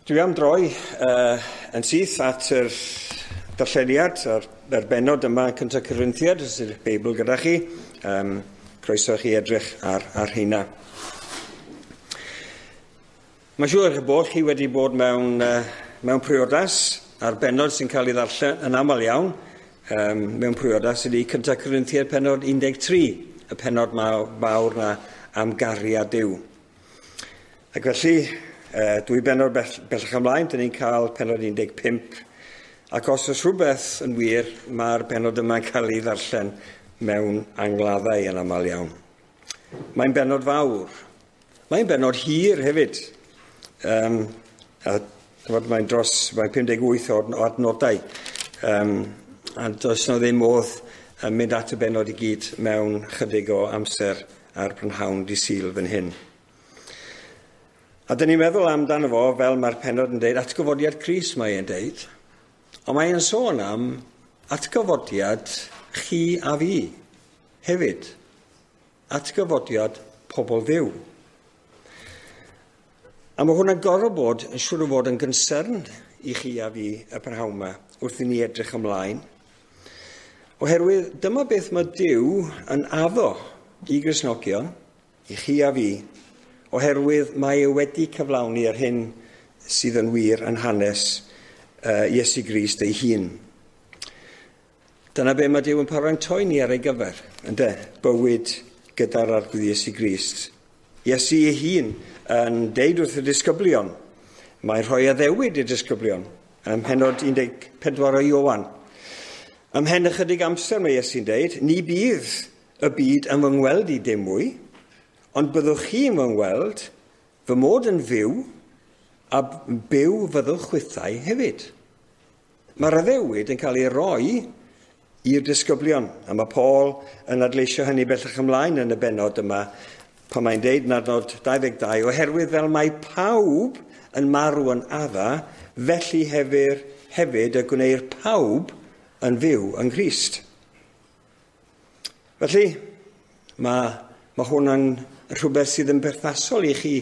Dwi am droi yn syth at yr darlleniad a'r bennod yma yn Cyntaf Corinthiad, os yw'r Beibl gyda chi. Croeso chi edrych ar heina. Mae'n siŵr eich bod chi wedi bod mewn priodas, a'r bennod sy'n cael ei ddarllen yn aml iawn, mewn priodas ydy Cyntaf Corinthiad pennod 13, y pennod mawr na am gariad Duw. Ac felly, dwy bennod bellach ymlaen, dyn ni'n cael pennod 15, ac os oes rhywbeth yn wir, mae'r bennod yma'n cael ei ddarllen mewn angladdau yn aml iawn. Mae'n bennod fawr. Mae'n bennod hir hefyd. A mae'n dros, mae'n 58 o adnodau. A does na ddim modd yn mynd at y bennod i gyd mewn chydig o amser ar brynhawn di Sul fan hyn. A dyn ni'n meddwl amdano fo, fel mae'r pennod yn deud, atgyfodiad Crist mae e'n deud, ond mae e'n sôn am atgyfodiad chi a fi hefyd. Atgyfodiad pobl Dduw. A mae hwnna'n gorfod bod yn siŵr o fod yn gynsern i chi a fi y prynhawn yma wrth i ni edrych ymlaen. Oherwydd dyma beth mae Duw yn addo i Gristnogion, i chi a fi, oherwydd mae e wedi cyflawni yr hyn sydd yn wir yn hanes Iesu Grist ei hun. Dyna be mae Duw yn paratoi ni ar ei gyfer, ynde? Bywyd gyda'r Arglwydd Iesu Grist. Iesu ei hun yn deud wrth y disgyblion, mae'n rhoi addewid i'r disgyblion, ym mhennod 14 o Ioan. Ymhen ychydig amser mae Iesu'n deud, ni bydd y byd yn fy ngweld i dim mwy, ond byddwch chi'n fy ngweld, fy mod yn fyw, a byw fyddwch chwithau hefyd. Mae'r addewid yn cael ei roi i'r disgyblion, a mae Paul yn adleisio hynny bellach ymlaen yn y bennod yma, pan mae'n deud yn adnod 22, oherwydd fel mae pawb yn marw yn Adda, felly hefyd y gwneir pawb yn fyw yng Nghrist. Felly, mae hwn yn rhywbeth sydd yn berthnasol i chi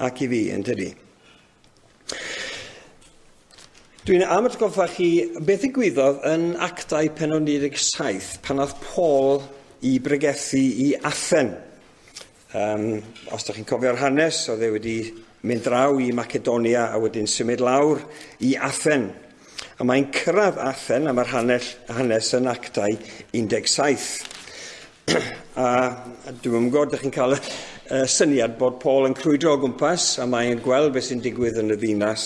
ac i fi, yn dydi? Dwi'n am atgoffa chi beth ddigwyddodd yn Actau pennod 17 pan oedd Paul i bregethu i Athen. Os ydych chi'n cofio'r hanes, oedd e wedi mynd draw i Macedonia a wedyn symud lawr i Athen. A mae'n cyrraedd Athen a mae'r hanes yn Actau 17. A dwi'n gwybod, ydych chi'n cael y syniad bod Paul yn crwydro o gwmpas a mae'n gweld beth sy'n digwydd yn y ddinas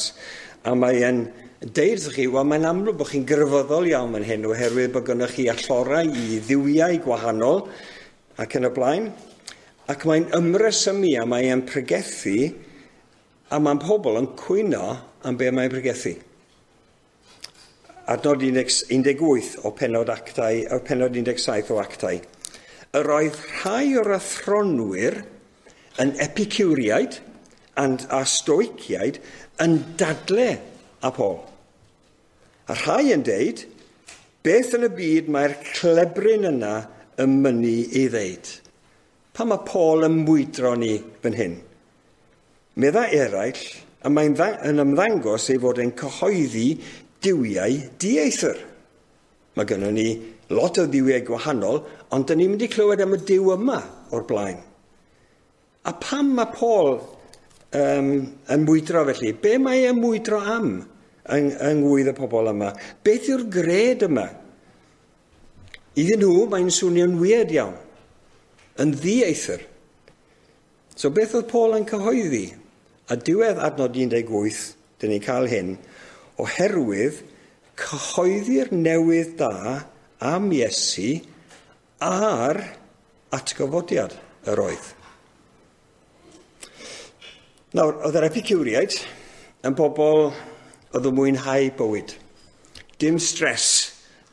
a mae'n deud wrthych chi, wel mae'n amlwg bod chi'n grefyddol iawn fan hyn oherwydd bod gynnoch chi allorau i dduwiau gwahanol ac yn y blaen. Ac mae'n ymresymu a mae'n pregethu a mae'n pobl yn cwyno am be mae'n pregethu. Adnod 18 o pennod Actau, o pennod 17 o Actau. Yr oedd rhai o'r athronwyr yn Epicuriaid a Stoiciaid yn dadle â Paul. A rhai yn deud, beth yn y byd mae'r clebryn yna yn mynnu ei ddeud? Pam mae Paul yn mwydro ni fan hyn? Medda eraill, y mae'n yn ymddangos ei fod yn cyhoeddi duwiau dieithr. Mae gynnon ni lot o dduwiau gwahanol, ond dyn ni'n mynd i clywed am y Duw yma o'r blaen. A pam mae Paul yn mwydro felly? Be mae e'n mwydro am yng ngwydd y pobl yma? Beth yw'r gred yma? Iddyn nhw, mae'n swnio'n weird iawn, yn ddieithr. So beth oedd Paul yn cyhoeddi? A diwedd adnod 18, dyn ni'n cael hyn, oherwydd cyhoeddi'r newydd da am Iesu a'r atgyfodiad yr oedd. Nawr, oedd yr Epicuriaid yn bobl oedd yn mwynhau bywyd. Dim stres.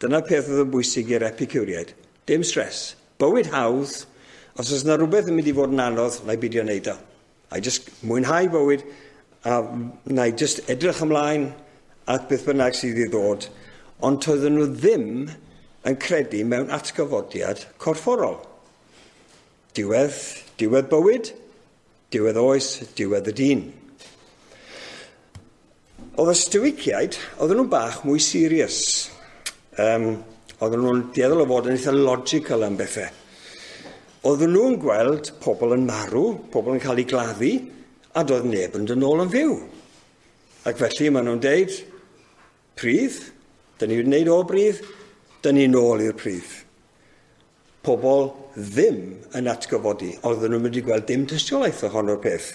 Dyna peth oedd yn bwysig i'r Epicuriaid. Dim stres. Bywyd hawdd. Os oes yna rhywbeth yn mynd i fod yn anodd, na i beidio wneud o. A i just mwynhau bywyd, a na i just edrych ymlaen at beth bynnag sydd i ddod. Ond toedden nhw ddim yn credu mewn atgyfodiad corfforol. Diwedd bywyd, diwedd oes, diwedd y dyn. Oedd y Stoiciaid, oedden nhw'n bach mwy serious. Oedden nhw'n dueddol o fod yn eitha logical am bethau. Oedden nhw'n gweld pobl yn marw, pobl yn cael eu gladdu, a doedd neb yn dod nôl yn fyw. Ac felly maen nhw'n deud, pridd, dyn ni wedi gwneud o bridd, dyn ni nôl i'r pridd. Pobl ddim yn atgyfodi, oedden nhw'n mynd i gweld dim tystiolaeth ohono'r peth.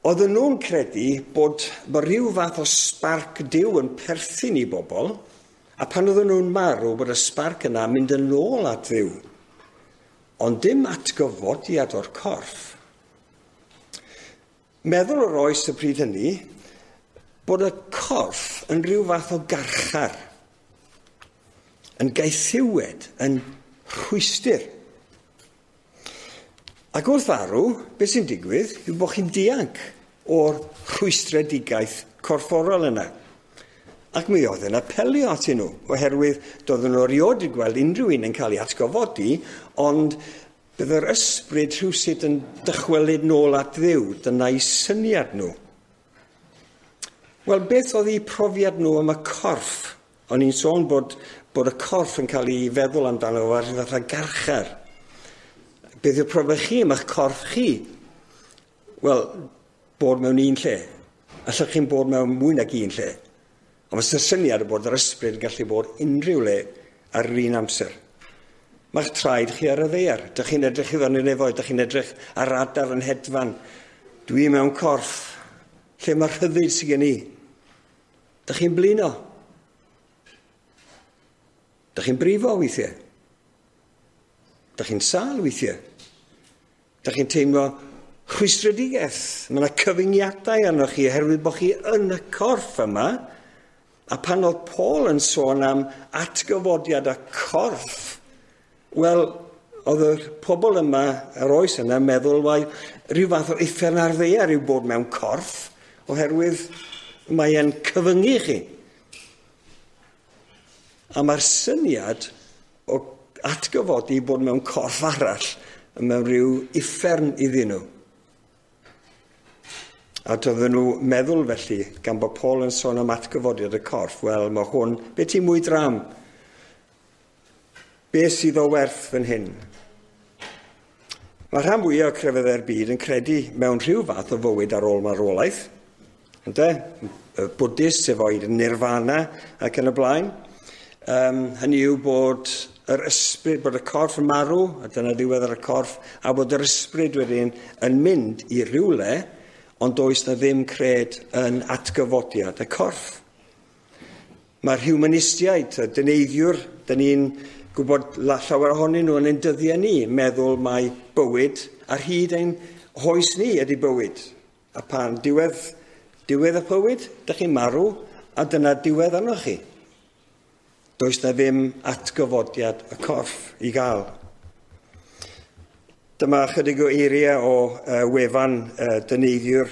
Oedden nhw'n credu bod rhyw fath o sbarc Duw yn perthyn i bobl, a pan oedden nhw'n marw bod y sbarc yna mynd yn ôl at Dduw. Ond dim atgyfodiad o'r corff. Meddwl o'r oes y pryd hynny, bod y corff yn rhyw fath o garchar, yn gaethiwed, yn rhwystr. Ac wrth farw, beth sy'n digwydd yw bod chi'n dianc o'r rhwystredigaeth corfforol yna. Ac mi oedd yn apelio atyn nhw, oherwydd doedden nhw erioed wedi gweld unrhyw un yn cael ei atgyfodi, ond bydd yr ysbryd rhywsut yn dychwelyd nôl at Dduw, dyna'i syniad nhw. Wel, beth oedd eu profiad nhw am y corff? O'n i'n sôn bod y corff yn cael ei feddwl amdano fo ar fath o garchar. Beth yw'r profiad chi am eich corff chi? Wel, bod mewn un lle. Allwch chi'n bod mewn mwy nag un lle. Ond mae'r syniad o bod yr ysbryd yn gallu bod unrhyw le ar yr un amser. Mae'ch traed chi ar y ddaear. Dych chi'n edrych i fyny'r nefoedd, dych chi'n edrych ar adar yn hedfan. Dwi mewn corff. Lle mae'r rhyddid sydd gen i? Dych chi'n blino? Dych chi'n brifo weithiau? Dych chi'n sâl weithiau? Dych chi'n teimlo rhwystredigaeth? Mae yna cyfyngiadau arnoch chi oherwydd bod chi yn y corff yma. A pan oedd Paul yn sôn am atgyfodiad y corff, wel, oedd y pobl yma, yr oes yna, meddwl, wel, rhyw fath o uffern ar ddaear yw bod mewn corff, oherwydd mae e'n cyfyngu chi. A mae'r syniad o atgyfodi bod mewn corff arall yn mewn rhyw uffern iddyn nhw. A doedden nhw meddwl felly, gan bod Paul yn sôn am atgyfodiad y corff, wel, mae hwn, be ti'n mwydro am? Be sydd o werth fan hyn? Mae rhan fwyaf o crefyddau'r byd yn credu mewn rhyw fath o fywyd ar ôl marwolaeth. Ynde? Y Buddhist efo'i nirvana ac yn y blaen. Hynny yw bod yr ysbryd, bod y corff yn marw, a dyna ddiwedd ar y corff, a bod yr ysbryd wedyn yn mynd i rywle, ond does na ddim cred yn atgyfodiad y corff. Mae'r humanistiaid, y dyneiddiwr, dyn ni'n gwybod llawer ohonyn nhw yn ein dyddiau ni, meddwl mai bywyd ar hyd ein hoes ni ydy bywyd. A pan diwedd y bywyd, dych chi'n marw, a dyna diwedd arnoch chi. Does na ddim atgyfodiad y corff i gael. Dyma chydig o eiriau o wefan dyneiddiwr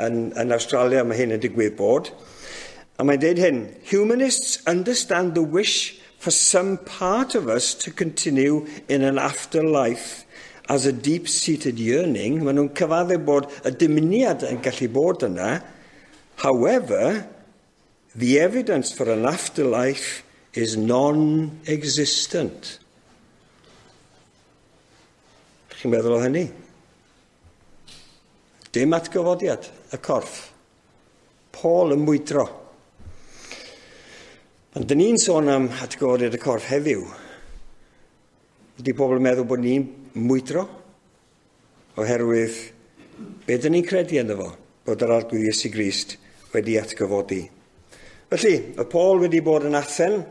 yn Awstralia, mae hyn yn digwydd bod. A mae'n deud hyn, humanists understand the wish for some part of us to continue in an afterlife as a deep-seated yearning. Maen nhw'n cyfaddef bod y dymuniad yn gallu bod yna. However, the evidence for an afterlife is non-existent. Chi'n meddwl o hynny? Dim atgyfodiad y corff. Paul yn mwydro. Ond dyn ni'n sôn am atgyfodiad y corff heddiw. Ydy pobl yn meddwl bod ni'n mwydro? Oherwydd, be dyn ni'n credu ynddo fo? Bod yr Arglwydd Iesu Grist wedi atgyfodi. Felly, mae Paul wedi bod yn Athen.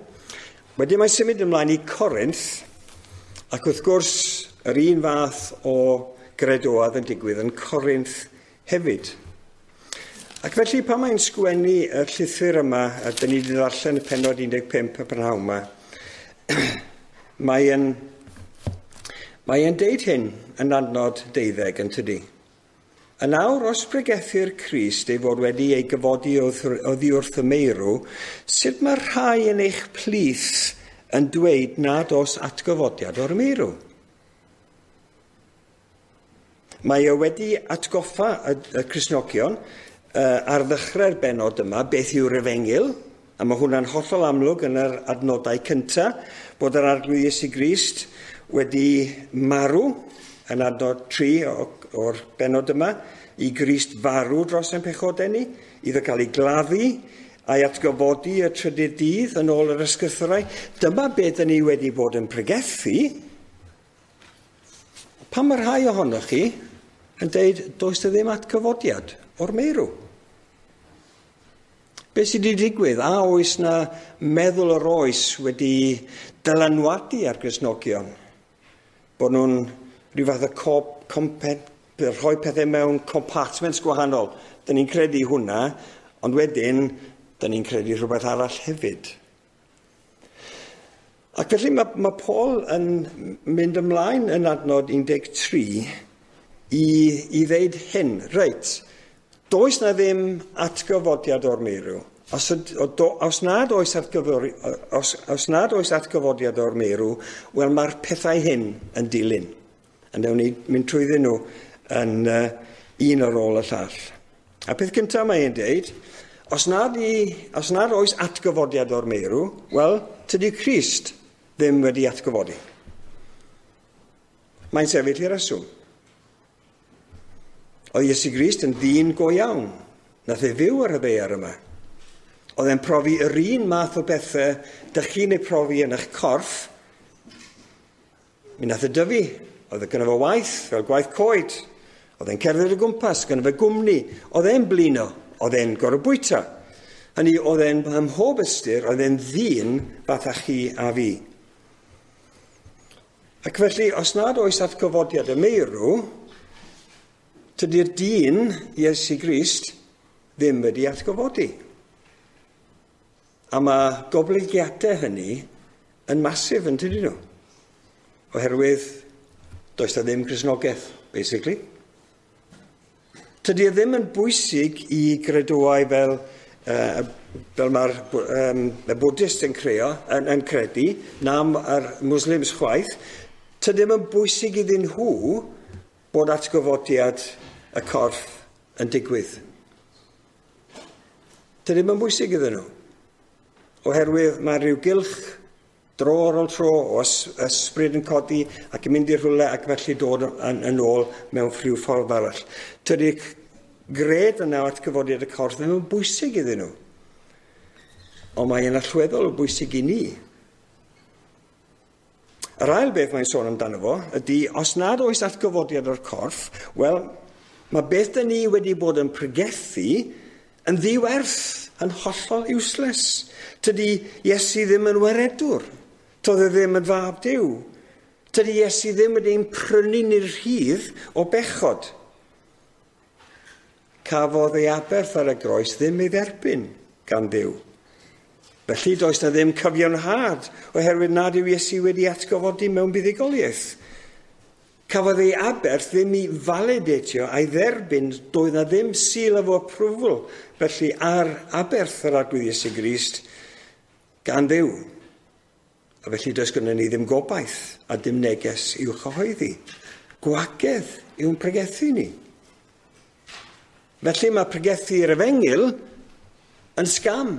Wedyn mae'n symud ymlaen i Corinth, ac wrth gwrs, yr un fath o gredoedd yn digwydd yn Corinth hefyd. Ac felly pan mae'n sgwennu y llythyr yma, a dyn ni wedi ddarllen y pennod 15 y prynhawn yma, mae'n deud hyn yn adnod 12 yn tydi. Yn awr, os pregethir Crist ei fod wedi ei gyfodi oddi wrth y meirw, sut mae rhai yn eich plith yn dweud nad oes atgyfodiad o'r meirw? Mae o wedi atgoffa y Cristnogion ar ddechrau'r benod yma beth yw'r efengyl, a mae hwnna'n hollol amlwg yn yr adnodau cyntaf, bod yr Arglwydd Iesu Grist wedi marw yn adnod 3 o'r benod yma, i Grist farw dros ein pechodau ni, iddo cael ei gladdu a'i atgyfodi y trydydd dydd yn ôl yr ysgrythurau. Dyma beth ni wedi bod yn pregethu. Pam mae rhai ohonoch chi yn deud does 'na ddim atgyfodiad o'r meirw? Be sydd wedi digwydd? A oes na meddwl yr oes wedi dylanwadu ar Gristnogion? Bod nhw'n rhyw fath o rhoi pethau mewn compartments gwahanol. Dyn ni'n credu hwnna, ond wedyn, dyn ni'n credu rhywbeth arall hefyd. Ac felly mae Paul yn mynd ymlaen yn adnod 13 i ddeud hyn. Reit, does na ddim atgyfodiad o'r meirw. Os nad oes atgyfodiad o'r meirw, wel mae'r pethau hyn yn dilyn. A newn ni mynd trwyddyn nhw yn un ar ôl y llall. A peth cyntaf mae'n deud, os nad oes atgyfodiad o'r meirw, wel, tydi Crist ddim wedi atgyfodi. Mae'n sefyll i reswm. Oedd Iesu Grist yn ddyn go iawn. Nath e fyw ar y ddaear yma. Oedd e'n profi yr un math o bethau dych chi'n ei profi yn eich corff. Mi nath e dyfu. Oedd e gynno fo waith, fel gwaith coed. Oedd e'n cerdded o gwmpas, gynno fo gwmni. Oedd e'n blino. Oedd e'n gorfod bwyta. Hynny, oedd e'n ym mhob ystyr, oedd e'n ddyn fatha chi a fi. Ac felly, os nad oes atgyfodiad y meirw, tydi'r dyn, Iesu Grist, ddim wedi atgyfodi. A mae goblygiadau hynny yn masif yn tydyn nhw. Oherwydd, does na ddim Cristnogaeth, basically. Tydi e ddim yn bwysig i gredoau fel mae'r y Buddhist yn credu, na'r Muslims chwaith. Tydi ddim yn bwysig iddyn nhw bod atgyfodiad y corff yn digwydd. Tydi ddim yn bwysig iddyn nhw. Oherwydd mae rhyw gylch dro ar ôl tro o ysbryd yn codi ac yn mynd i rhywle ac felly dod yn ôl mewn rhyw ffordd arall. Tydi gred yna o atgyfodiad y corff ddim yn bwysig iddyn nhw. Ond mae'n allweddol o bwysig i ni. Yr ail beth mae'n sôn amdano fo ydy, os nad oes atgyfodiad o'r corff, wel, mae beth dyn ni wedi bod yn pregethu yn ddiwerth, yn hollol useless. Tydi Iesu ddim yn waredwr. Toedd e ddim yn fab Duw. Tydi Iesu ddim wedi ein prynu ni'r rhydd o bechod. Cafodd ei aberth ar y groes ddim ei dderbyn gan Dduw. Felly does na ddim cyfiawnhad oherwydd nad yw Iesu wedi atgyfodi mewn buddugoliaeth. Cafodd ei aberth ddim i validatio a'i dderbyn, doedd na ddim seal of approval felly ar aberth yr Arglwydd Iesu Grist gan Dduw. A felly does gynnon ni ddim gobaith a dim neges i'w chyhoeddi. Gwagedd yw'n pregethu ni. Felly mae pregethu'r efengyl yn scam.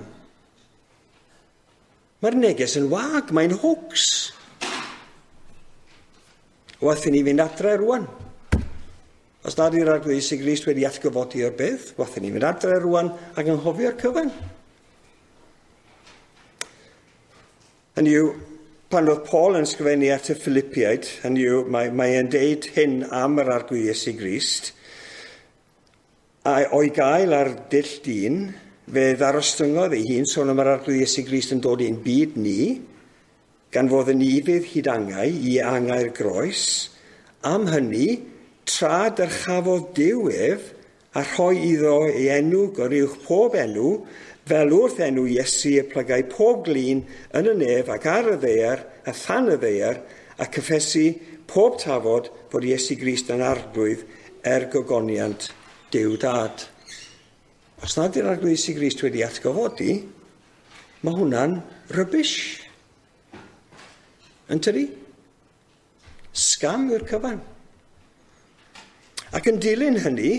Mae'r neges yn wag, mae'n hoax. Wath i ni fynd adre rwan. Os nad yw'r Arglwydd Iesu Grist wedi atgyfodi o'r bedd, wath i ni fynd adre rwan ac anghofio'r cyfan. Hynny yw, pan oedd Paul yn sgrifennu at y Philippiaid, hynny yw, mae e'n deud hyn am yr Arglwydd Iesu Grist, a o'i gael ar dull dyn, fe ddarostyngodd ei hun, sôn am yr Arglwydd Iesu Grist yn dod i'n byd ni, gan fod yn ufudd hyd angau i angau'r groes, am hynny, tra dyrchafodd Duw ef, a rhoi iddo ei enw goruwch pob enw, fel wrth enw Iesu y plygai pob glin yn y nef ac ar y ddaear a than y ddaear, a cyffesu pob tafod fod Iesu Grist yn arglwydd er gogoniant Duw Dad. Os nad yw'r Arglwydd Iesu Grist wedi atgyfodi, mae hwnna'n rubbish. Yn tydi? Scam yw'r cyfan. Ac yn dilyn hynny,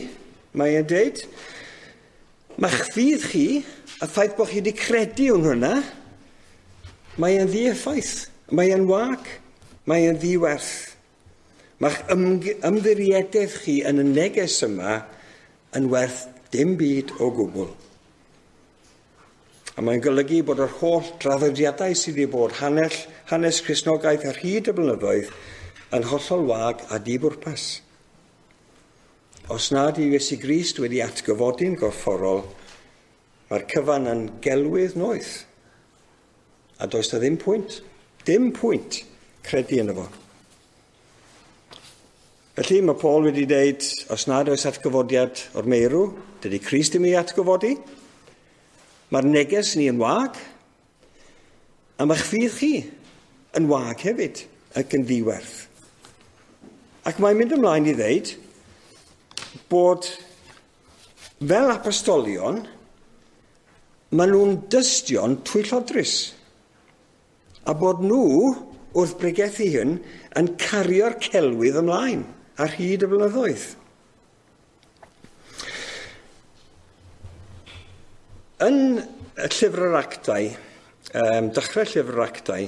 mae e'n deud, Mae'ch ffydd chi, y ffaith bod chi wedi credu yn hwnna, mae e'n ddieffaith, mae e'n wag, mae e'n ddiwerth. Mae'ch ymddiriedaeth chi yn y neges yma yn werth dim byd o gwbl. A mae'n golygu bod yr holl draddodiadau sydd wedi bod hanes Cristnogaeth ar hyd y blynyddoedd yn hollol wag a dibwrpas. Os nad yw Iesu Grist wedi atgyfodi'n gorfforol, mae'r cyfan yn gelwydd noeth. A does na ddim pwynt, dim pwynt credu yno fo. Felly mae Paul wedi dweud, os nad oes atgyfodiad o'r meirw, dydy Crist ddim ei atgyfodi. Mae'r neges ni yn wag, a mae'ch ffydd chi yn wag hefyd ac yn ddiwerth. Ac mae'n mynd ymlaen i ddeud bod fel apostolion, maen nhw'n dystion twyllodrus. A bod nhw, wrth bregethu hyn, yn cario'r celwydd ymlaen ar hyd y blynyddoedd. Yn y llyfr yr Actau, dechrau llyfr yr Actau,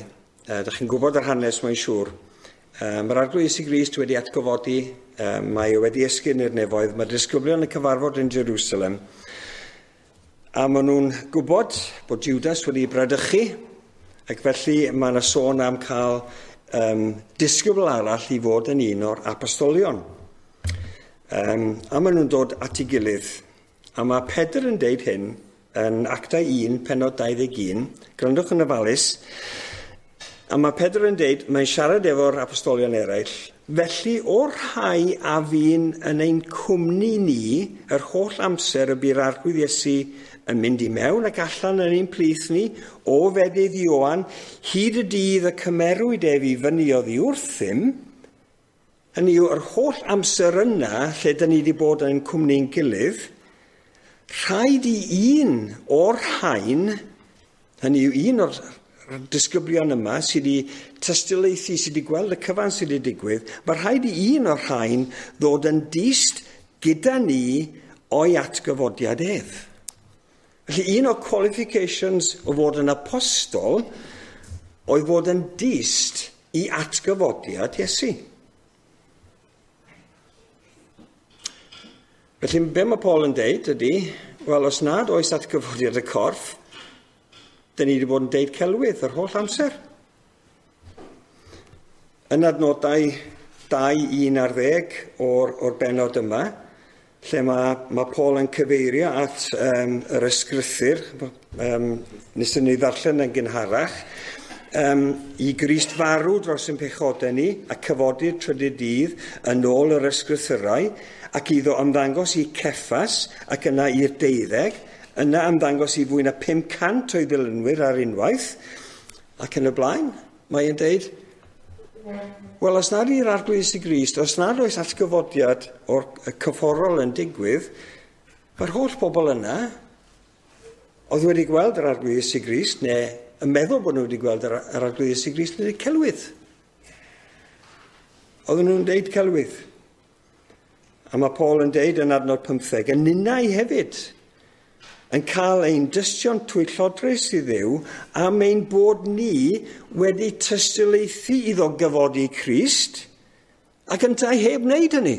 dych chi'n gwybod yr hanes mae'n siŵr, mae'r Arglwydd Iesu Grist wedi atgyfodi, mae e wedi esgyn i'r nefoedd, mae'r disgyblion yn cyfarfod yn Jerusalem, a maen nhw'n gwybod bod Judas wedi bradychu, ac felly mae yna sôn am cael disgybl arall i fod yn un o'r apostolion. A maen nhw'n dod at ei gilydd. A mae Pedr yn deud hyn yn Actau 1, penod 21, gwrandwch yn ofalus, a mae Pedr yn deud, mae'n siarad efo'r apostolion eraill, felly o'r rhai a fu'n yn ein cwmni ni, yr holl amser y bu'r Arglwydd Iesu yn mynd i mewn ac allan yn ein plith ni, o fedydd Ioan, hyd y dydd y cymerwyd ef i fyny oddi wrthym, hynny yw, yr holl amser yna, lle dyn ni wedi bod yn cwmni'n gilydd, rhaid i un o'r rhain, hynny yw un o'r disgyblion yma sydd wedi tystiolaethu, sydd wedi gweld y cyfan sydd wedi digwydd, mae rhaid i un o'r rhain ddod yn dyst gyda ni o'i atgyfodiad ef. Felly un o'r qualifications o fod yn apostol oedd fod yn dyst i atgyfodiad Iesu. Felly, be mae Paul yn deud ydy, wel, os nad oes atgyfodiad y corff, dyn ni wedi bod yn deud celwydd yr holl amser. Yn adnodau 2:11 o'r bennod yma, lle mae Paul yn cyfeirio at yr ysgrythur, nes ni ddarllen yn gynharach, i Grist farw dros ein pechodau ni a cyfodi'r trydydd dydd yn ôl yr ysgrythurau, ac iddo ymddangos i Ceffas ac yna i'r 12, yna ymddangos i fwy na 500 o'i ddilynwyr ar unwaith, ac yn y blaen, mae'n deud, wel, os nad yw'r Arglwydd Iesu Grist, os nad oes atgyfodiad o'r cyfforol yn digwydd, mae'r holl bobl yna oedd wedi gweld yr Arglwydd Iesu Grist, neu yn meddwl bod nhw wedi gweld yr Arglwydd Iesu Grist, yn dweud celwydd. Oedden nhw'n deud celwydd. A mae Paul yn deud yn adnod 15, yn ninnau hefyd, yn cael ein dystion twyllodrus i Dduw am ein bod ni wedi tystiolaethu iddo gyfodi Crist ac yntau heb wneud hynny.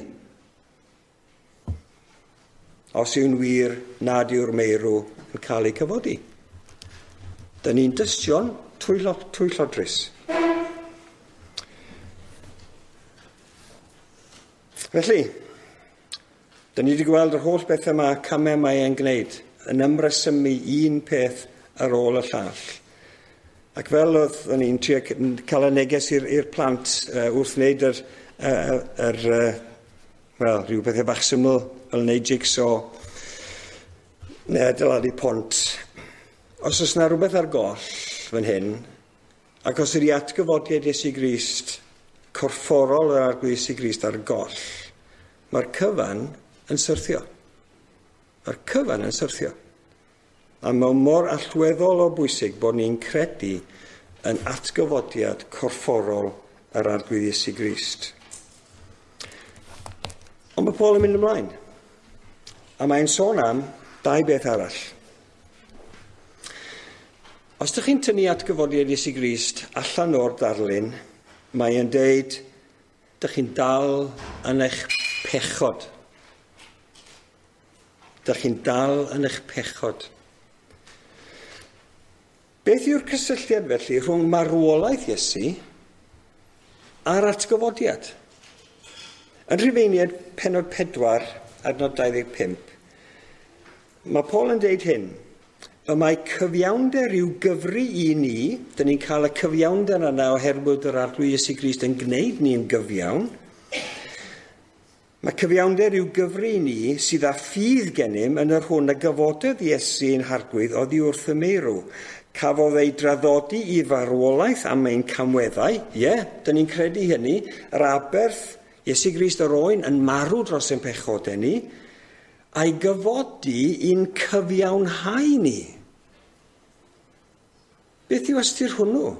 Os yw'n wir nad yw'r meirw yn cael ei cyfodi. Dyn ni'n dystion twyllodrus. Felly, dyn ni wedi gweld yr holl bethau yma, camau mae e'n gwneud, yn ymresymu un peth ar ôl y llall. Ac fel oedd ni'n trio cael y neges i'r plant wrth wneud wel, rhyw bethau bach syml fel wneud jigsaw neu adeiladu pont. Os oes yna rhywbeth ar goll fan hyn, ac os ydy atgyfodiad Iesu Grist, corfforol yr Arglwydd Iesu Grist ar goll, mae'r cyfan yn syrthio. Mae'r cyfan yn syrthio. A mae mor allweddol o bwysig bod ni'n credu yn atgyfodiad corfforol yr Arglwydd Iesu Grist. Ond mae Paul yn mynd ymlaen. A mae'n sôn am Dau beth arall. Os ydych chi'n tynnu atgyfodiad Iesu Grist allan o'r darlun, mae e'n deud, dych chi'n dal yn eich pechod. Dych chi'n dal yn eich pechod. Beth yw'r cysylltiad felly rhwng marwolaeth Iesu a'r atgyfodiad? Yn Rhufeiniaid pennod 4, adnod 25, mae Paul yn deud hyn: y mae cyfiawnder i'w gyfri i ni, dyn ni'n cael y cyfiawnder yna oherwydd yr Arglwydd Iesu Grist yn gwneud ni'n gyfiawn. Mae cyfiawnder i'w gyfri i ni sydd â ffydd gennym yn yr hwn y gyfododd Iesu ein Harglwydd oddi wrth y meirw. Cafodd ei draddodi i farwolaeth am ein camweddau. Ie, yeah, dyn ni'n credu hynny. Yr aberth Iesu Grist yr oen yn marw dros ein pechodau ni, a'i gyfodi i'n cyfiawnhau ni. Beth yw ystyr hwnnw?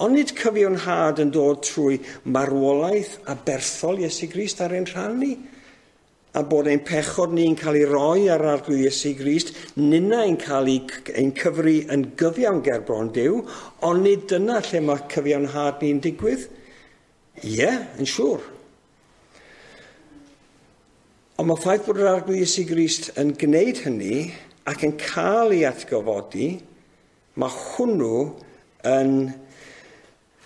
Onid cyfiawnhad yn dod trwy marwolaeth aberthol Iesu Grist ar ein rhan ni? A bod ein pechod ni'n cael ei roi ar Arglwydd Iesu Grist, ninnau'n cael ein cyfri yn gyfiawn ger bron Duw, onid dyna lle mae cyfiawnhad ni'n digwydd? Ie, yeah, yn siŵr. Ond mae ffaith bod yr Arglwydd Iesu Grist yn gwneud hynny ac yn cael ei atgyfodi, mae hwnnw yn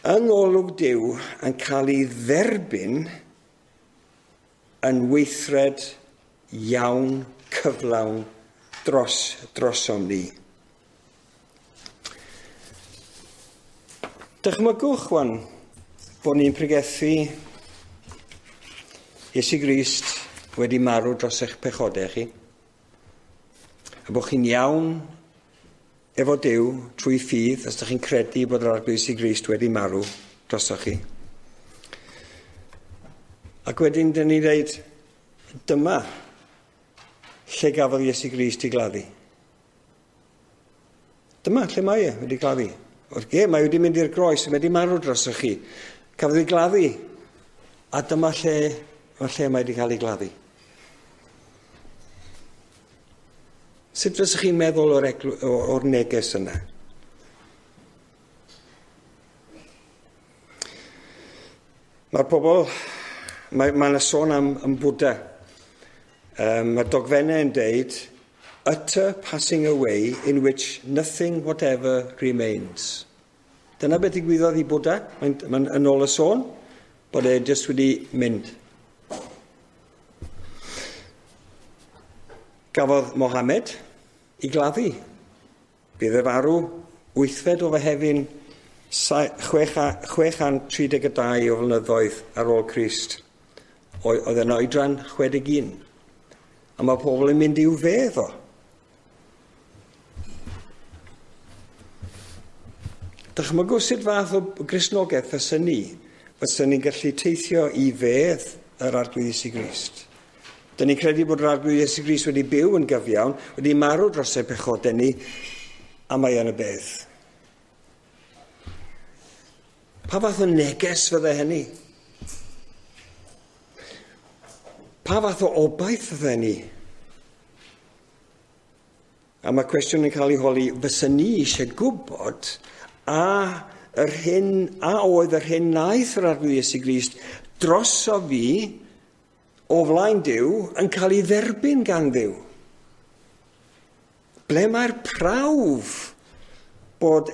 olwg Duw yn cael ei dderbyn yn weithred iawn, cyflawn drosom ni. Dychmygwch wan bod ni'n pregethu Iesu Grist wedi marw dros eich pechodau chi, a bod chi'n iawn efo Duw trwy ffydd, os ydych chi'n credu bod yr Arglwydd Iesu Grist wedi marw drosoch chi. Ac wedyn dyn ni'n dweud, dyma lle gafodd Iesu Grist i gladdu. Dyma lle mae e wedi gladdu. Ie, mae wedi mynd i'r groes, mae wedi marw drosoch chi. Cafodd ei gladdu, a dyma lle mae wedi cael ei gladdu. Sut fysych chi'n meddwl o'r neges yna? Mae'r pobl, mae yna sôn am Bwda. Mae'r dogfennau yn deud, utter passing away in which nothing whatever remains. Dyna beth ddigwyddodd i Bwda, mae'n yn ôl y sôn, bod e jyst wedi mynd. Gafodd Mohammed i gladdu. Bydd e farw 8fed o Fehefin 632 o flynyddoedd ar ôl Crist. Oedd e'n oedran 61. A mae pobl yn mynd i'w fedd o. Dychmygwch sut fath o Gristnogaeth fysa ni'n gallu teithio i fedd yr Arglwydd Iesu Grist. Dyn ni'n credu bod yr Arglwydd Iesu Grist wedi byw yn gyfiawn, wedi marw dros ei pechodau ni, a mae yn y bedd. Pa fath o neges fydde hynny? Pa fath o obaith fydde ni? A mae cwestiwn yn cael ei holi, fysa ni eisiau gwybod a oedd yr hyn wnaeth yr Arglwydd Iesu Grist droso fi o flaen Duw yn cael ei dderbyn gan Dduw. Ble mae'r prawf bod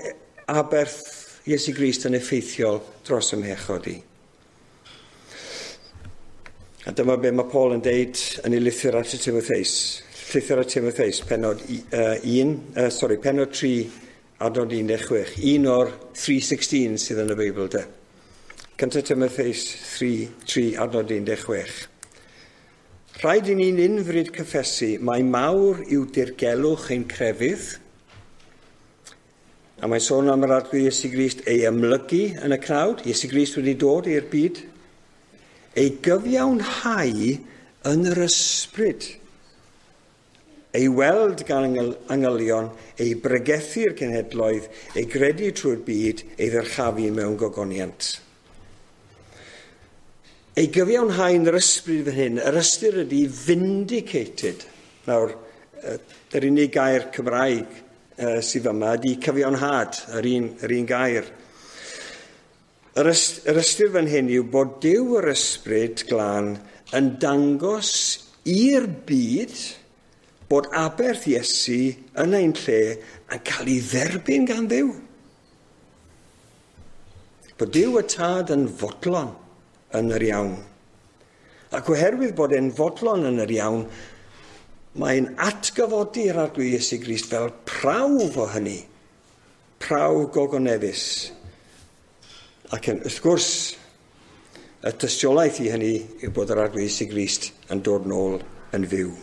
aberth Iesu Grist yn effeithiol dros ym mhechod i? A dyma be mae Paul yn deud yn ei lythyr at y Timotheus. Llythyr at Timotheus, pennod 3, adnod 16. Un o'r 3:16 sydd yn y Beibl de. 1 Timotheus 3, adnod 16. Rhaid i ni'n unfryd cyffesu mai mawr yw dirgelwch ein crefydd, a mae'n sôn am yr Arglwydd Iesu Grist ei amlygu yn y cnawd, Iesu Grist wedi dod i'r byd, ei gyfiawnhau yn yr ysbryd, ei weld gan angylion, ei bregethu'r cenhedloedd, ei gredu trwy'r byd, ei ddyrchafu mewn gogoniant. Ei gyfiawnhau yn yr ysbryd fan hyn, yr ystyr ydy vindicated. Nawr, Yr unig gair Cymraeg sydd yma ydy cyfiawnhad, yr un gair. Yr ystyr fan hyn yw bod Duw yr Ysbryd Glân yn dangos i'r byd bod aberth Iesu yn ein lle yn cael ei dderbyn gan Dduw. Bod Duw y Tad yn fodlon yn yr iawn. Ac oherwydd bod e'n fodlon yn yr iawn, mae'n atgyfodi'r Arglwydd Iesu Grist fel prawf o hynny, prawf gogoneddus. Ac wrth gwrs, y tystiolaeth i hynny yw bod yr Arglwydd Iesu Grist yn dod nôl yn fyw.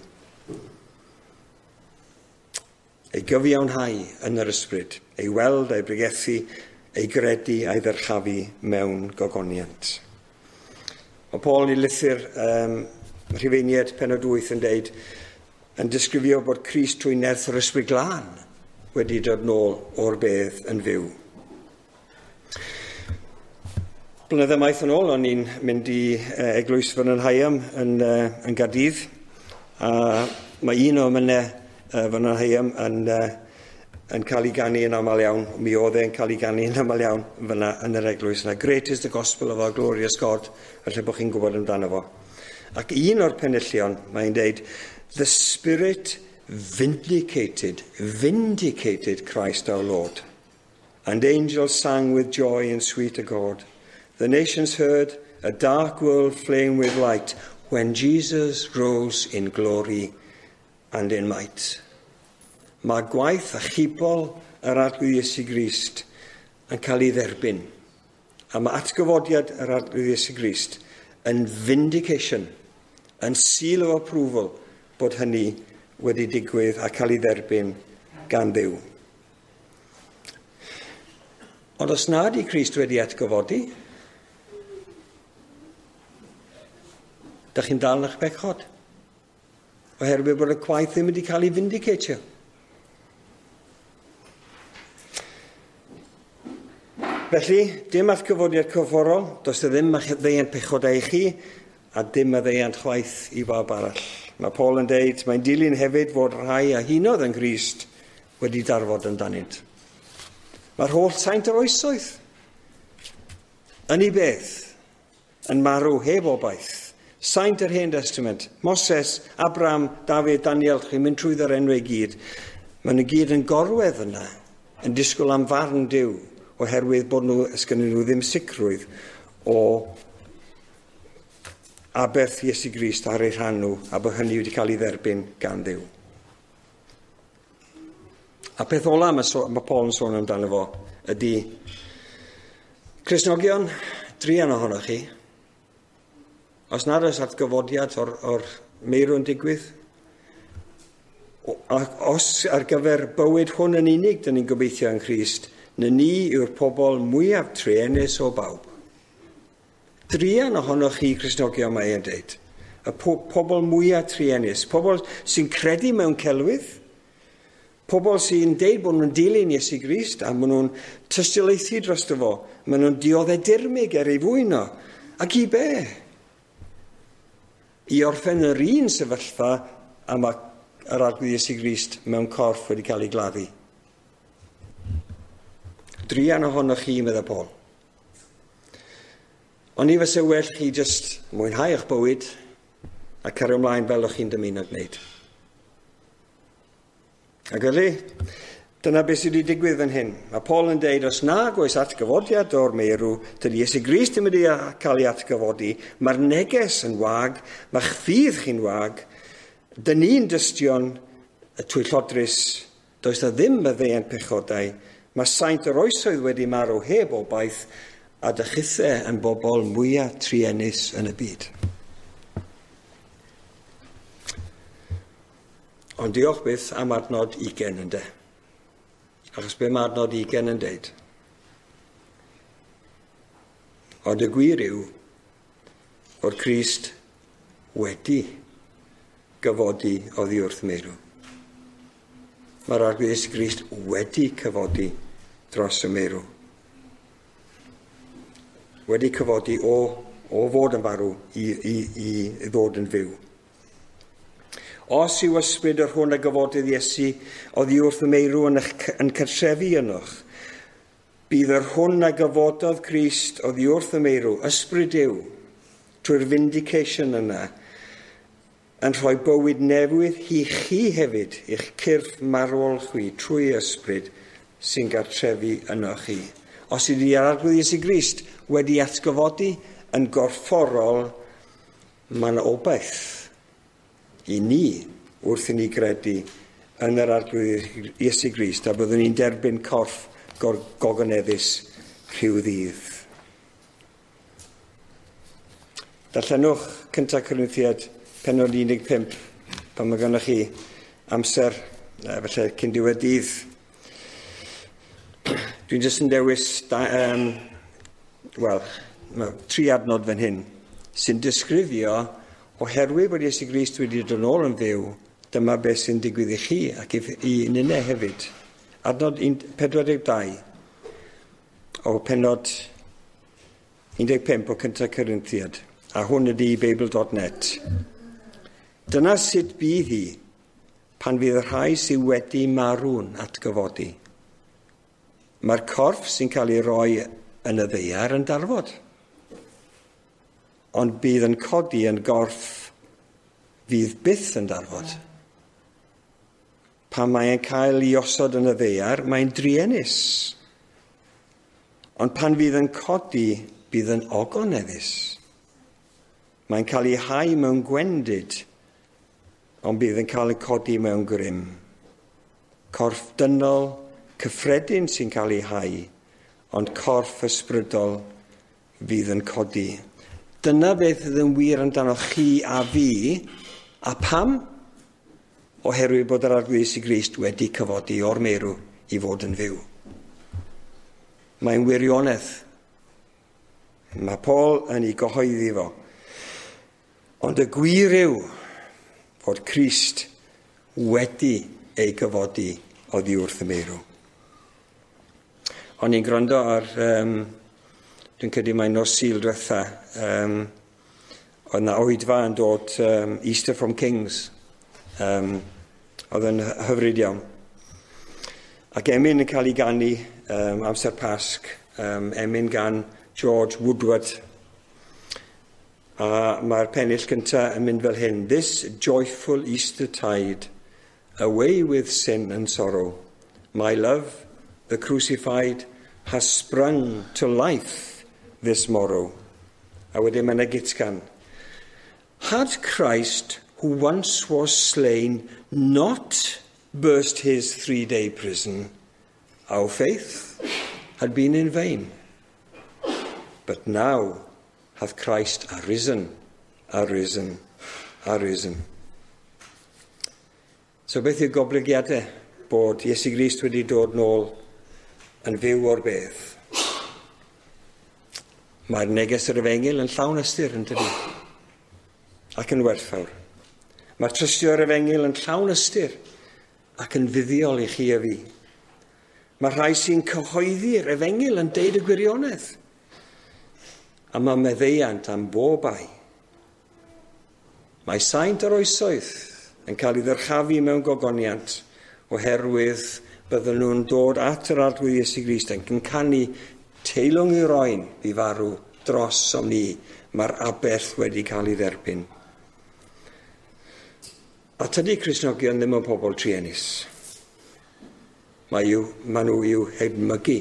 Ei gyfiawnhau yn yr ysbryd, ei weld, ei bregethu, ei gredu a'i ddyrchafu mewn gogoniant. Mae Paul yn ei lythyr Rhufeiniaid pennod 8 yn deud, yn disgrifio bod Crist trwy nerth yr Ysbryd Glân wedi dod nôl o'r bedd yn fyw. Blynydde maith yn ôl, o'n i'n mynd i eglwys Vernon Higham yn Gaerdydd, a mae un o emynau Vernon Higham yn cael ei ganu yn aml iawn. Mi oedd e'n cael ei ganu yn aml iawn fyna yn yr eglwys yna. Great is the gospel of our glorious God, felly bod chi'n gwybod amdano fo. Ac un o'r penillion, mae'n deud, the Spirit vindicated Christ our Lord. And angels sang with joy and sweet accord. The nations heard a dark world flame with light when Jesus rose in glory and in might. Mae gwaith achubol yr Arglwydd Iesu Grist yn cael ei dderbyn. A mae atgyfodiad yr Arglwydd Iesu Grist yn vindication, yn seal of approval bod hynny wedi digwydd a cael ei dderbyn gan Dduw. Ond os nad i Crist wedi atgyfodi, da chi'n dal yn eich bechod, oherwydd bod y gwaith ddim wedi cael ei vindicatio. Felly, dim atgyfodiad corfforol, does e ddim maddeuant pechodau i chi, a dim maddeuant chwaith i bawb arall. Mae Paul yn deud, mae'n dilyn hefyd fod rhai a hunodd yn Grist wedi darfod amdanynt. Mae'r holl saint yr oesoedd yn ei beth, yn marw heb obaith. Saint yr Hen Testament, Moses, Abraham, Dafydd, Daniel, chi'n mynd trwyddo'r enwau i gyd. Maen nhw gyd yn gorwedd yna, yn disgwyl am farn Duw, oherwydd bod nhw, sgynnyn nhw ddim sicrwydd o aberth Iesu Grist ar eu rhan nhw, a bod hynny wedi cael ei dderbyn gan Dduw. A peth ola mae Paul yn sôn amdano fo ydy, Cristnogion, druan ohonoch chi, os nad oes atgyfodiad o'r meirw yn digwydd, os ar gyfer bywyd hwn yn unig dyn ni'n gobeithio yng Nghrist, na ni yw'r pobl mwyaf truenus o bawb. Druan ohonoch chi, Cristnogion, mae e'n deud. Y pobl mwyaf truenus, pobl sy'n credu mewn celwydd, pobl sy'n deud bod nhw'n dilyn Iesu Grist a maen nhw'n tystiolaethu drosto fo, maen nhw'n dioddef dirmyg er ei fwyn o. Ac i be? I orffen yr un sefyllfa a mae yr Arglwydd Iesu Grist mewn corff wedi cael ei gladdu. Druan ohonoch chi, meddai Paul. Ond i fysa well chi jyst mwynhau eich bywyd a cario ymlaen fel o'ch chi'n dymuno gwneud. Ac felly, dyna beth sydd wedi digwydd fan hyn. Mae Paul yn deud, os nag oes atgyfodiad o'r meirw, dydy Iesu Grist ddim wedi cael ei atgyfodi, mae'r neges yn wag, mae'ch ffydd chi'n wag, dyn ni'n dystion y twyllodrus, does na ddim maddeuant pechodau, mae saint yr oesoedd wedi marw heb obaith, a dychithau yn bobl mwyaf truenus yn y byd. Ond diolch byth am adnod 20 ynde. Achos be mae adnod 20 yn deud? Ond y gwir yw fod Crist wedi gyfodi oddi wrth meirw. Mae'r Arglwydd Iesu Grist wedi cyfodi dros y meirw. Wedi cyfodi o fod yn farw i ddod yn fyw. Os yw ysbryd yr hwn a gyfodydd Iesu oddi wrth y meirw yn cartrefu ynoch, bydd yr hwn a gyfododd Crist oddi wrth y meirw, ysbryd Duw, trwy'r vindication yna, yn rhoi bywyd newydd i chi hefyd, i'ch cyrff marwol chwi, trwy ysbryd sy'n gartrefu yno chi. Os ydy'r Arglwydd Iesu Grist wedi atgyfodi yn gorfforol, mae yna obaith i ni wrth i ni gredu yn yr Arglwydd Iesu Grist, a byddwn ni'n derbyn corff gogoneddus rhyw ddydd. Darllenwch 1 Corinthiaid pennod 15 pan mae gennych chi amser, felly cyn diwedd dydd. Dwi'n jyst yn dewis tri adnod fan hyn sy'n disgrifio oherwydd bod Iesu Grist wedi dod yn ôl yn fyw, dyma beth sy'n digwydd i chi ac i ninne hefyd. Adnod 42 o pennod 15 o 1 Corinthiaid, a hwn ydy Beibl.net. Dyna sut bydd hi pan fydd y rhai sydd wedi marw'n atgyfodi. Mae'r corff sy'n cael ei roi yn y ddaear yn darfod, ond bydd yn codi yn gorff fydd byth yn darfod. Pan mae'n cael ei osod yn y ddaear, mae'n druenus. Ond pan fydd yn codi, bydd yn ogoneddus. Mae'n cael ei hau mewn gwendid, ond bydd yn cael ei codi mewn grym. Corff dynol cyffredin sy'n cael ei hau, ond corff ysbrydol fydd yn codi. Dyna beth fydd yn wir amdano chi a fi, a pam? Oherwydd bod yr Arglwydd Iesu Grist wedi cyfodi o'r meirw i fod yn fyw. Mae'n wirionedd. Mae Paul yn ei gyhoeddi fo. Ond y gwir yw fod Crist wedi ei gyfodi oddi wrth y meirw. O'n i'n gwrando ar, dwi'n credu mai nos Sul diwetha, oedd yna oedfa yn dod Easter from Kings. Oedd yn hyfryd iawn. Ac emyn yn cael ei ganu amser Pasg, emyn gan George Woodward. A mae'r pennill gyntaf yn mynd fel hyn. This joyful Easter tide, away with sin and sorrow. My love, the crucified, has sprung to life this morrow. A wedyn mae'n gytgan. Had Christ, who once was slain, not burst his 3-day prison, our faith had been in vain. But now hath Christ arisen, arisen, arisen. So beth yw goblygiadau bod Iesu Grist wedi dod nôl yn fyw o'r bedd? Mae'r neges yr efengyl yn llawn ystyr, yn dydi? Ac yn werthfawr. Mae'r trystio yr efengyl yn llawn ystyr ac yn fuddiol i chi a fi. Mae rhai sy'n cyhoeddi'r efengyl yn deud y gwirionedd. A mae meddeiant am bob ai. Mae saint yr oesoedd yn cael ei ddyrchafu mewn gogoniant oherwydd bydden nhw'n dod at yr Arglwydd Iesu Grist yn canu teilwng i'r oen i farw dros om ni. Mae'r aberth wedi cael ei dderbyn. A tydi Cristnogion ddim yn pobl truenus. Mae nhw i'w hedmygu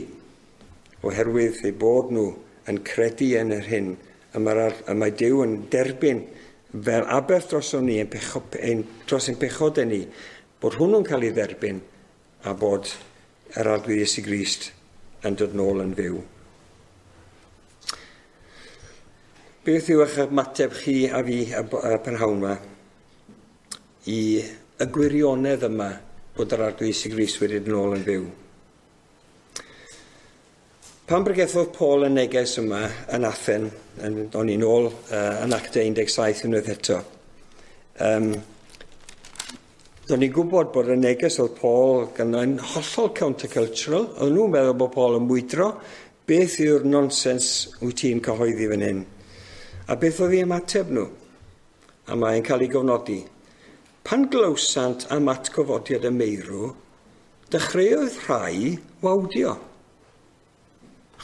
oherwydd eu bod nhw yn credu yn yr hyn y mae Duw yn derbyn fel aberth drosom ni, dros ein pechodau ni, bod hwnnw'n cael ei dderbyn a bod yr Arglwydd Iesu Grist yn dod nôl yn fyw. Beth yw eich ymateb chi a fi y prynhawn yma i y gwirionedd yma bod yr Arglwydd Iesu Grist wedi dod nôl yn fyw? Pan bregethodd Paul y neges yma yn Athen, o'n i'n ôl yn Actau 17 unwaith eto, do'n i'n gwybod bod y neges oedd Paul yn hollol countercultural. Oedden nhw'n meddwl bod Paul yn mwydro. Beth yw'r nonsens wyt ti'n cyhoeddi fan hyn? A beth oedd ei ymateb nhw? A mae'n cael ei gofnodi. Pan glywsant am atgyfodiad y meirw, dechreuodd rhai wawdio.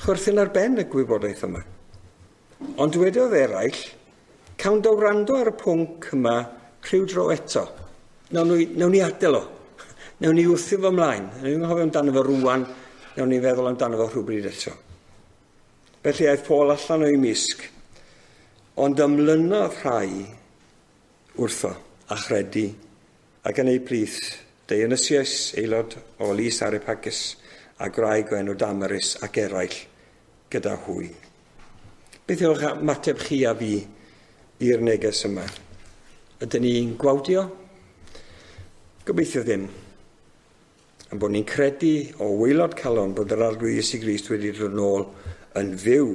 Chwerthin ar ben y gwybodaeth yma. Ond dwedodd eraill, cawn dy wrando ar y pwnc yma rhyw dro eto. Nawn ni adael o. Nawn ni wthio fo ymlaen. Nawn ni'n anghofio amdano fo rwan, nawn ni feddwl amdano fo rhywbryd eto. Felly aeth Paul allan o'i misg, ond ymlynodd rhai wrtho a chredu, ac yn eu plith Dionysius, aelod o Lys Areopagus, a gwraig o enw Damaris ac eraill gyda hwy. Beth yw'ch ymateb chi a fi i'r neges yma? Ydyn ni'n gwawdio? Gobeithio ddim. Am bod ni'n credu o waelod calon bod yr Arglwydd Iesu Grist wedi dod nôl yn fyw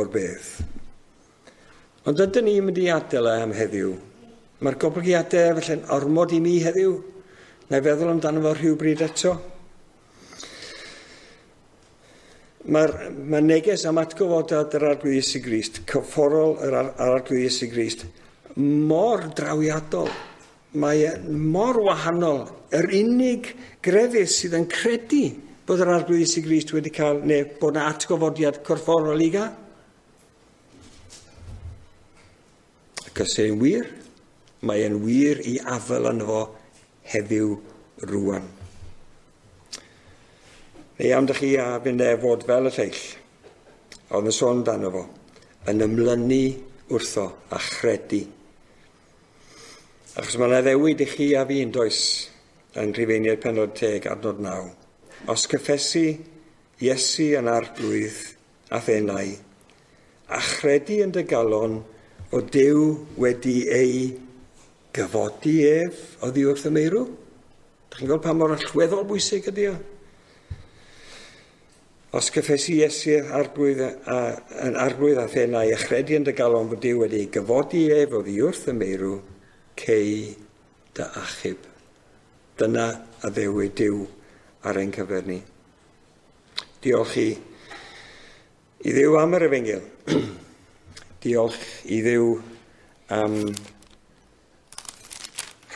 o'r bedd. Ond ydyn ni'n mynd i adael e am heddiw? Mae'r goblygiadau felly'n ormod i mi heddiw? Na i feddwl amdano fo rhywbryd eto? Mae'r neges am atgyfodiad yr Arglwydd Iesu Grist, cyfforol yr Arglwydd Iesu Grist, mor drawiadol. Mae e mor wahanol. Yr unig grefydd sydd yn credu bod yr Arglwydd Iesu Grist wedi cael, neu bod yna atgyfodiad corfforol i gael. Ac os e'n wir, mae e'n wir i afael yno fo heddiw rwan. Neu am dych chi a fynd e fod fel y lleill, oedd yn sôn amdano fo, yn ymlynu wrtho a chredu. Achos mae'n addewid i chi a fi yn does yn Rhufeiniaid pennod 10 adnod 9. Os cyffesu Iesu yn arglwydd a thenau, a chredu yn dy galon o Duw wedi ei gyfodi ef oddi wrth y meirw. Dych chi'n gweld pa mor allweddol bwysig ydy o? Os cyffesu Iesu arglwydd yn arglwydd a thenau, a chredu yn dy galon fod Duw wedi ei gyfodi ef oddi wrth y meirw, cei dy achub. Dyna addewid Duw ar ein cyfer ni. Diolch i Dduw am yr efengyl. Diolch i Dduw am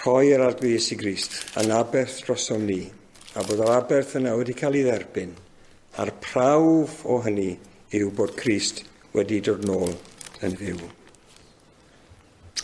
rhoi yr Arglwydd Iesu Grist yn aberth drosom ni, a bod yr aberth yna wedi cael ei dderbyn, a'r prawf o hynny yw bod Crist wedi dod nôl yn fyw.